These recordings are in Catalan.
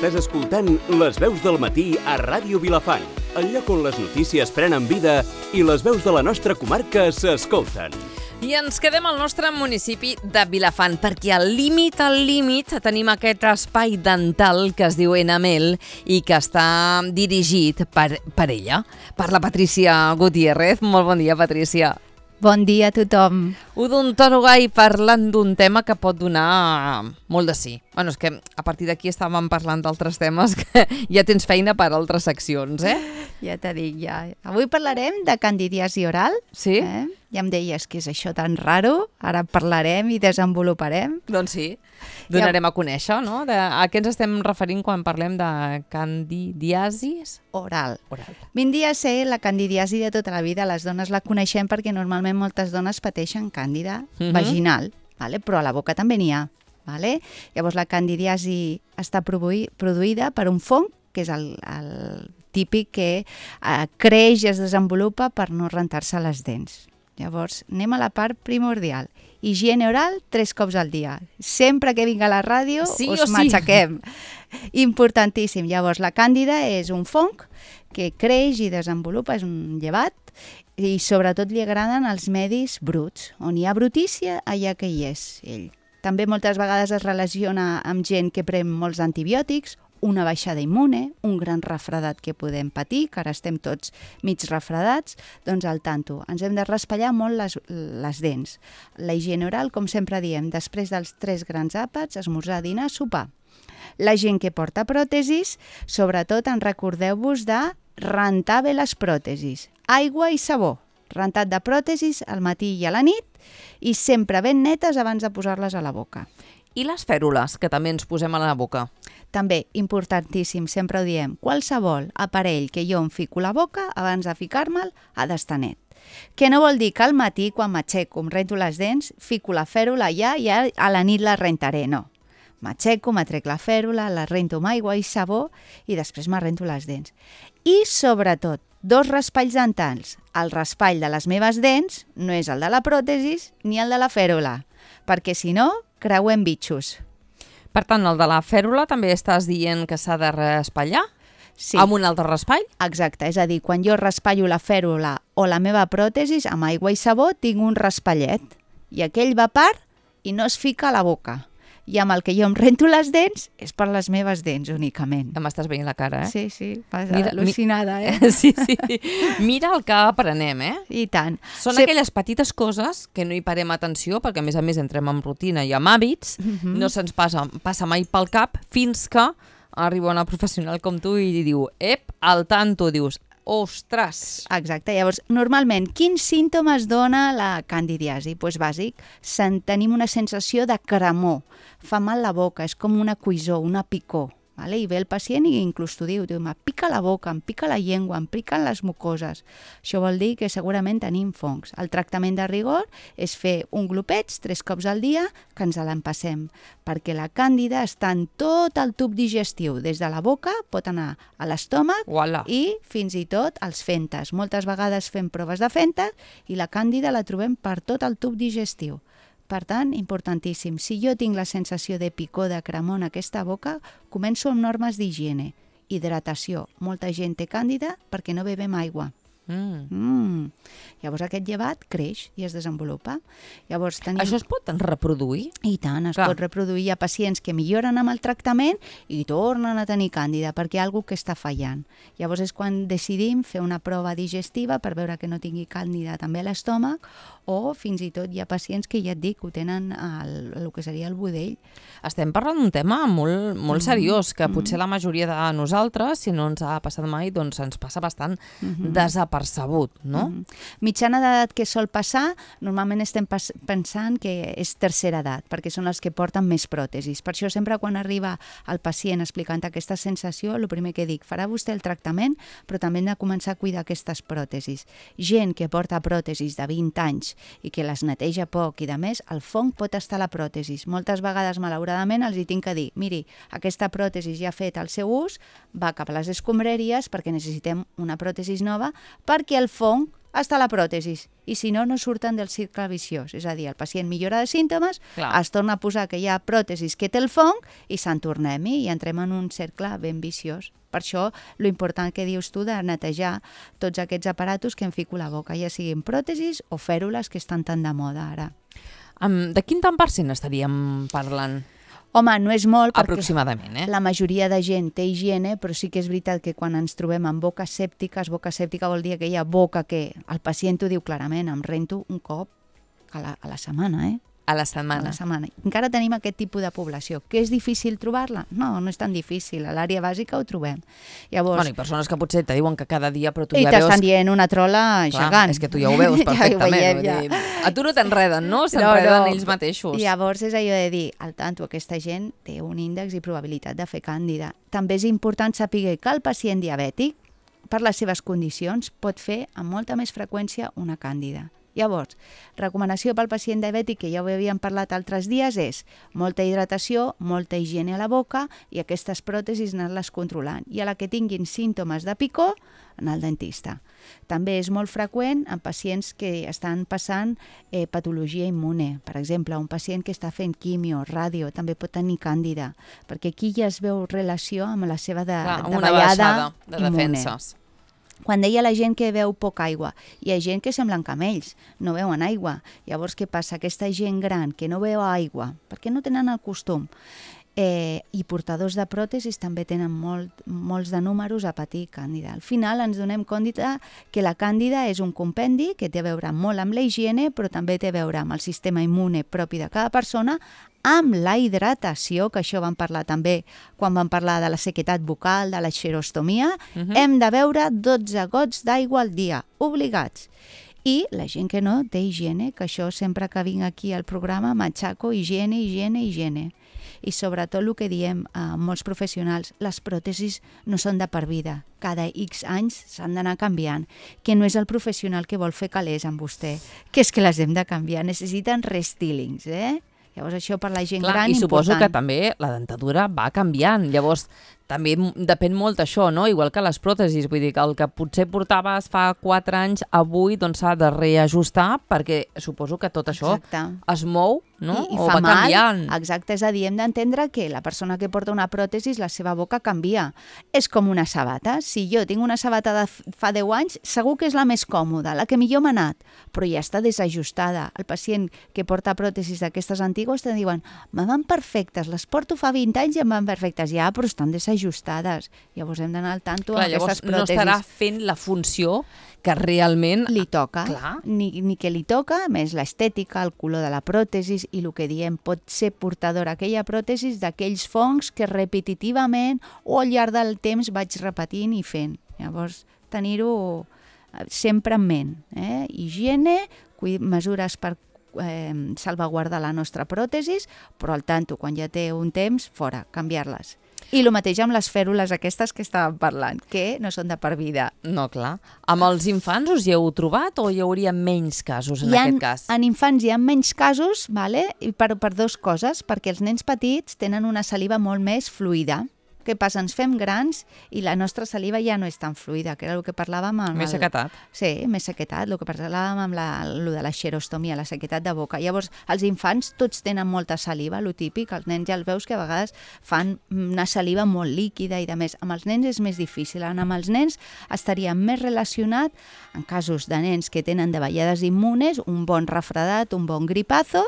Estàs escoltant Les Veus del Matí a Ràdio Vilafant, el lloc on les notícies prenen vida i les veus de la nostra comarca s'escolten. I ens quedem al nostre municipi de Vilafant, perquè al límit tenim aquest espai dental que es diu Enamel i que està dirigit per ella, per la Patrícia Gutiérrez. Molt bon dia, Patrícia. Bon dia a tothom. Odontòloga i parlant d'un tema que pot donar molt de sí. Bueno, és que a partir d'aquí estàvem parlant d'altres temes que ja tens feina per altres seccions, eh? Ja t'ho dic, ja. Avui parlarem de candidiasi oral. Sí? Ja em deies que és això tan raro. Ara parlarem i desenvoluparem. Doncs sí, donarem a conèixer, no? A què ens estem referint quan parlem de candidiasis? Oral. Oral. Vindria a ser la candidiasi de tota la vida. Les dones la coneixem perquè normalment moltes dones pateixen càndida vaginal, vale? Però a la boca també n'hi ha. Vale? Llavors la candidiasi està produïda per un fong, que és el típic que creix i es desenvolupa per no rentar-se les dents. Llavors, anem a la part primordial. Higiene oral 3 cops al dia. Sempre que vinc a la ràdio us matxaquem. Importantíssim. Llavors, la càndida és un fong que creix i desenvolupa, és un llevat, i sobretot li agraden els medis bruts. On hi ha brutícia, allà que hi és ell. També moltes vegades es relaciona amb gent que pren molts antibiòtics, una baixada immune, un gran refredat que podem patir, que ara estem tots mig refredats, doncs al tanto. Ens hem de raspallar molt les dents. La higiene oral, com sempre diem, després dels 3 grans àpats, esmorzar, dinar, sopar. La gent que porta pròtesis, sobretot en recordeu-vos de rentar bé les pròtesis. Aigua i sabó. Rentat de pròtesis al matí i a la nit i sempre ben netes abans de posar-les a la boca. I les fèrules, que també ens posem a la boca? També, importantíssim, sempre ho diem, qualsevol aparell que jo em fico a la boca abans de ficar-me'l ha d'estar net. Que no vol dir que al matí, quan m'aixeco, em rento les dents, fico la fèrula allà i a la nit la rentaré, no. M'aixeco, m'atrec la fèrula, la rento amb aigua i sabó i després me rento les dents. I sobretot, 2 raspalls dentals. El raspall de les meves dents no és el de la pròtesis ni el de la fèrula, perquè si no, creuem bitxos. Per tant, el de la fèrula també estàs dient que s'ha de raspallar? Sí. Amb un altre raspall? Exacte, és a dir, quan jo raspallo la fèrula o la meva pròtesis amb aigua i sabó tinc un raspallet i aquell va a part i no es fica a la boca. I amb el que jo em rento les dents és per les meves dents únicament. Ja m'estàs veient la cara, eh? Sí, vas al·lucinada, Sí. Mira el que aprenem, eh? I tant. Són aquelles petites coses que no hi parem atenció, perquè a més entrem en rutina i en hàbits, no se'ns passa mai pel cap fins que arriba una professional com tu i diu, al tanto, dius, ostres! Exacte, llavors, normalment, quins símptomes dona la candidiasi? Doncs bàsic, tenim una sensació de cremor, fa mal la boca, és com una coïssor, una picor. Vale? I ve el pacient i inclús t'ho diu, em pica la boca, em pica la llengua, em piquen les mucoses. Això vol dir que segurament tenim fongs. El tractament de rigor és fer un glopeig 3 cops al dia que ens l'empassem, perquè la càndida està en tot el tub digestiu. Des de la boca pot anar a l'estómac i fins i tot als fentes. Moltes vegades fem proves de fentes i la càndida la trobem per tot el tub digestiu. Per tant, importantíssim, si jo tinc la sensació de picor, de cremor en aquesta boca, començo amb normes d'higiene. Hidratació. Molta gent té càndida perquè no bevem aigua. Llavors aquest llevat creix i es desenvolupa. Això es pot reproduir? I tant, es pot reproduir. Hi ha pacients que milloren amb el tractament i tornen a tenir càndida perquè hi ha alguna que està fallant. Llavors és quan decidim fer una prova digestiva per veure que no tingui càndida també a l'estómac, o fins i tot hi ha pacients que ja et dic, ho tenen el que seria el budell. Estem parlant d'un tema molt seriós, que potser la majoria de nosaltres, si no ens ha passat mai, doncs ens passa bastant desapercebut, no? Mitjana d'edat que sol passar, normalment estem pensant que és tercera edat, perquè són els que porten més pròtesis. Per això sempre quan arriba el pacient explicant aquesta sensació, el primer que dic, farà vostè el tractament, però també hem de començar a cuidar aquestes pròtesis. Gent que porta pròtesis de 20 anys i que les neteja poc i de més, el fong pot estar a la pròtesis. Moltes vegades, malauradament, els hi tinc que dir, miri, aquesta pròtesis ja ha fet el seu ús, va cap a les escombraries perquè necessitem una pròtesis nova, perquè el fong hasta la pròtesi. I si no, no surten del cicle viciós. És a dir, el pacient millora de símptomes, es torna a posar que hi ha pròtesis que té el fong i se'n tornem-hi i entrem en un cercle ben viciós. Per això, lo important que dius tu de netejar tots aquests aparatos que em fico a la boca, ja siguin pròtesis o fèrules que estan tan de moda ara. De quin tant % estaríem parlant? Home, no és molt perquè aproximadament, la majoria de gent té higiene, però sí que és veritat que quan ens trobem amb boca sèptica vol dir que hi ha boca que el pacient ho diu clarament, em rento un cop a la setmana, A la setmana. A la setmana. Encara tenim aquest tipus de població. Que és difícil trobar-la? No, no és tan difícil. A l'àrea bàsica ho trobem. Llavors... Bueno, i persones que potser te diuen que cada dia, però tu ja veus... I t'estan dient una trola gegant. És que tu ja ho veus perfectament. Ja a tu no t'enreden, no? S'enreden ells mateixos. Llavors és allò de dir, al tanto, aquesta gent té un índex i probabilitat de fer càndida. També és important saber que el pacient diabètic, per les seves condicions, pot fer amb molta més freqüència una càndida. Llavors, recomanació pel pacient diabètic, que ja ho havíem parlat altres dies, és molta hidratació, molta higiene a la boca i aquestes pròtesis anar-les controlant. I a la que tinguin símptomes de picor, anar al dentista. També és molt freqüent en pacients que estan passant patologia immune. Per exemple, un pacient que està fent quimio, ràdio, també pot tenir càndida, perquè aquí ja es veu relació amb la seva davallada de defenses. Quan deia la gent que beu poca aigua, hi ha gent que semblen camells, no beuen aigua. Llavors, què passa? Aquesta gent gran que no beu aigua, perquè no tenen el costum, i portadors de pròtesis també tenen molts de números a patir càndida. Al final ens donem compte que la càndida és un compendi que té a veure molt amb la higiene, però també té a veure amb el sistema immune propi de cada persona, amb la hidratació, que això vam parlar també quan vam parlar de la sequedat bucal, de la xerostomia, hem de beure 12 gots d'aigua al dia, obligats. I la gent que no té higiene, que això sempre que vinc aquí al programa m'aixaco higiene, higiene, higiene. I sobretot el que diem a molts professionals, les pròtesis no són de per vida. Cada X anys s'han d'anar canviant, que no és el professional que vol fer calés amb vostè, que és que les hem de canviar, necessiten restylings, Llavors això per la gent gran i suposo important. que també la dentadura va canviant, llavors també depèn molt d'això, no? Igual que les pròtesis, vull dir que el que potser portaves fa 4 anys, avui doncs s'ha de reajustar perquè suposo que tot això es mou, no? I o fa va canviant. Exacte, és a dir, hem d'entendre que la persona que porta una pròtesis, la seva boca canvia. És com una sabata. Si jo tinc una sabata de fa 10 anys, segur que és la més còmoda, la que millor m'ha anat, però ja està desajustada. El pacient que porta pròtesis d'aquestes antigues te diuen, me van perfectes, les porto fa 20 anys i em van perfectes. Ja, però estan desajustades. Llavors hem d'anar al tanto amb aquestes pròtesis. No estarà fent la funció que realment li toca, ni que li toca, més l'estètica, el color de la pròtesis i el que diem pot ser portadora aquella pròtesis d'aquells fongs que repetitivament o al llarg del temps vaig repetint i fent. Llavors, tenir-ho sempre en ment. Higiene, mesures per salvaguardar la nostra pròtesis, però al tanto, quan ja té un temps, fora, canviar-les. I el mateix amb les fèrules aquestes que estàvem parlant, que no són de per vida. No, clar. Amb els infants us hi heu trobat o hi hauria menys casos en aquest cas? En infants hi ha menys casos, i per 2 coses, perquè els nens petits tenen una saliva molt més fluida. Què passa? Ens fem grans i la nostra saliva ja no és tan fluida, que era el que parlàvem amb... Més sequetat. Sí, més sequetat, el que parlàvem amb el de la xerostomia, la sequetat de boca. Llavors, els infants tots tenen molta saliva, el típic, els nens ja els veus que a vegades fan una saliva molt líquida i de més. Amb els nens és més difícil. Amb els nens estaria més relacionat, en casos de nens que tenen davallades immunes, un bon refredat, un bon gripazo,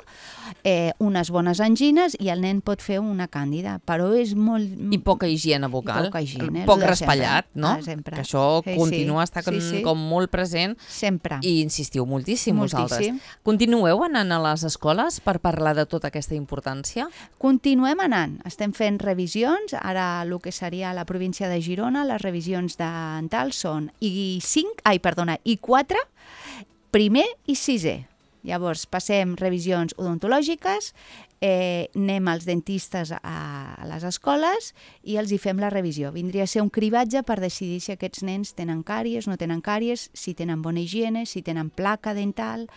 unes bones angines i el nen pot fer una càndida, però és molt... I poca higiene vocal, higiene, poc raspallat, no? Sempre. Que això continua estar com molt present. Sempre. I insistiu moltíssim vosaltres. Continueu anant a les escoles per parlar de tota aquesta importància? Continuem anant. Estem fent revisions. Ara el que seria la província de Girona, les revisions dentals són I4, primer i sisè. Llavors passem revisions odontològiques, anem als dentistes a les escoles i els hi fem la revisió. Vindria a ser un cribatge per decidir si aquests nens tenen càries, no tenen càries, si tenen bona higiene, si tenen placa dental,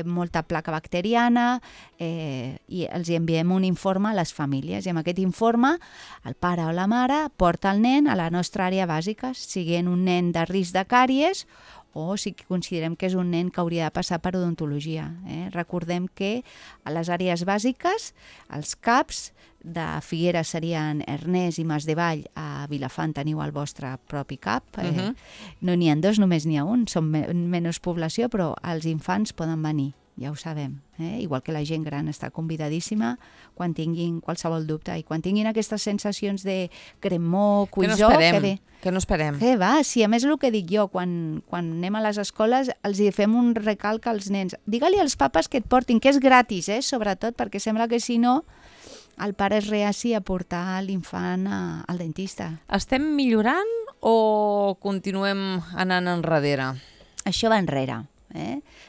molta placa bacteriana, i els enviem un informe a les famílies. I amb aquest informe el pare o la mare porta el nen a la nostra àrea bàsica, siguent un nen de risc de càries o si considerem que és un nen que hauria de passar per odontologia. Recordem que a les àrees bàsiques, els CAPs de Figueres serien Ernest i Masdevall, a Vilafant teniu el vostre propi CAP. No n'hi ha dos, només n'hi ha un, són menys població, però els infants poden venir, ja ho sabem. Igual que la gent gran està convidadíssima quan tinguin qualsevol dubte i quan tinguin aquestes sensacions de cremor, cuisor, que no esperem. Que va, sí, a més el que dic jo, quan anem a les escoles els hi fem un recalc als nens. Digue-li als papes que et portin, que és gratis, sobretot, perquè sembla que si no el pare és reaci a portar l'infant al dentista. Estem millorant o continuem anant enrere? Això va enrere.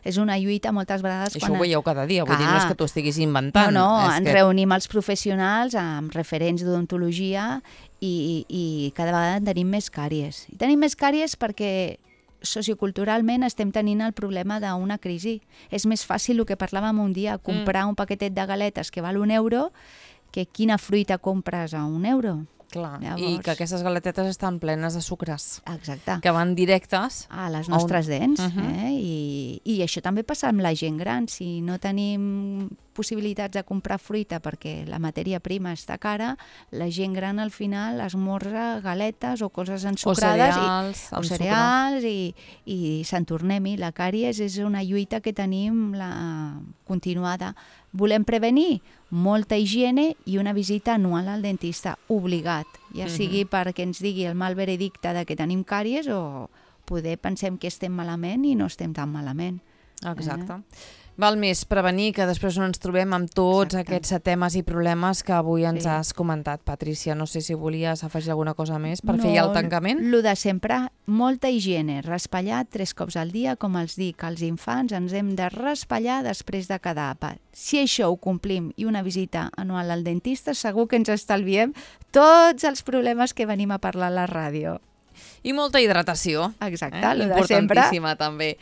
És una lluita moltes vegades... Això ho veieu cada dia, vull dir, no és que tu estiguis inventant. No, ens reunim els professionals amb referents d'odontologia i cada vegada tenim més càries. I tenim més càries perquè socioculturalment estem tenint el problema d'una crisi. És més fàcil el que parlàvem un dia, comprar un paquetet de galetes que val €1 que quina fruita compres a €1. Clar, llavors... i que aquestes galetetes estan plenes de sucres. Exacte. Que van directes a les nostres dents. I això també passa amb la gent gran. Si no tenim possibilitats de comprar fruita perquè la matèria prima està cara, la gent gran al final esmorza galetes o coses ensucrades o cereals i se'n tornem-hi. La càries és una lluita que tenim continuada. Volem prevenir molta higiene i una visita anual al dentista, obligat, ja sigui perquè ens digui el mal veredicte de que tenim càries o poder pensem que estem malament i no estem tan malament. Exacte. Val més prevenir que després no ens trobem amb tots aquests temes i problemes que avui ens has comentat, Patrícia. No sé si volies afegir alguna cosa més per fer ja el tancament. Lo de sempre, molta higiene, raspallar 3 cops al dia, com els dic als infants, ens hem de raspallar després de cada àpat. Si això ho complim i una visita anual al dentista, segur que ens estalviem tots els problemes que venim a parlar a la ràdio. I molta hidratació. Exacte, lo de sempre. Importantíssima també.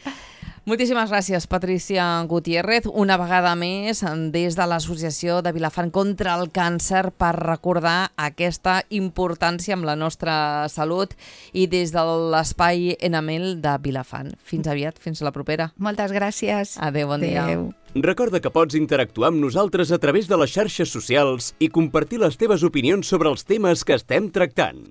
Moltíssimes gràcies, Patrícia Gutiérrez, una vegada més des de l'Associació de Vilafant contra el Càncer per recordar aquesta importància amb la nostra salut i des de l'espai Enamel de Vilafant. Fins aviat, fins la propera. Moltes gràcies. Adéu, bon dia. Recorda que pots interactuar amb nosaltres a través de les xarxes socials i compartir les teves opinions sobre els temes que estem tractant.